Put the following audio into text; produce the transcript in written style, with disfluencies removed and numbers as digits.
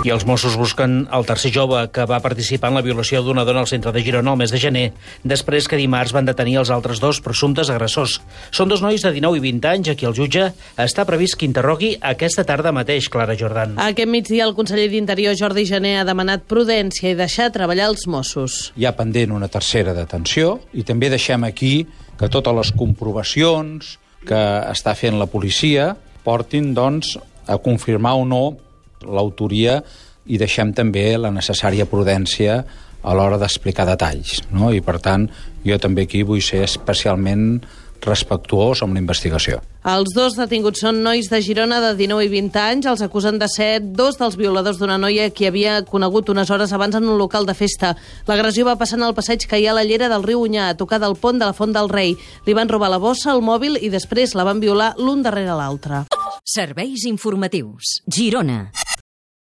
I els Mossos busquen el tercer jove que va participar en la violació d'una dona al centre de Girona el mes de gener, després que dimarts van detenir els altres dos presumptes agressors. Són dos nois de 19 i 20 anys a qui el jutge està previst que interrogui aquesta tarda mateix, Clara Jordan. Aquest migdia el conseller d'Interior, Jordi Jané, ha demanat prudència i deixar treballar els Mossos. Hi ha pendent una tercera detenció i també deixem aquí que totes les comprovacions que està fent la policia portin, doncs, a confirmar o no l'autoria i deixem també la necessària prudència a l'hora d'explicar detalls, no? I, per tant, jo també aquí vull ser especialment respectuós amb la investigació. Els dos detinguts són nois de Girona de 19 i 20 anys. Els acusen de ser dos dels violadors d'una noia que havia conegut unes hores abans en un local de festa. L'agressió va passar en el passeig que hi ha a la llera del riu Onyar, a tocar del pont de la Font del Rei. Li van robar la bossa, el mòbil i després la van violar l'un darrere l'altre. Serveis informatius. Girona.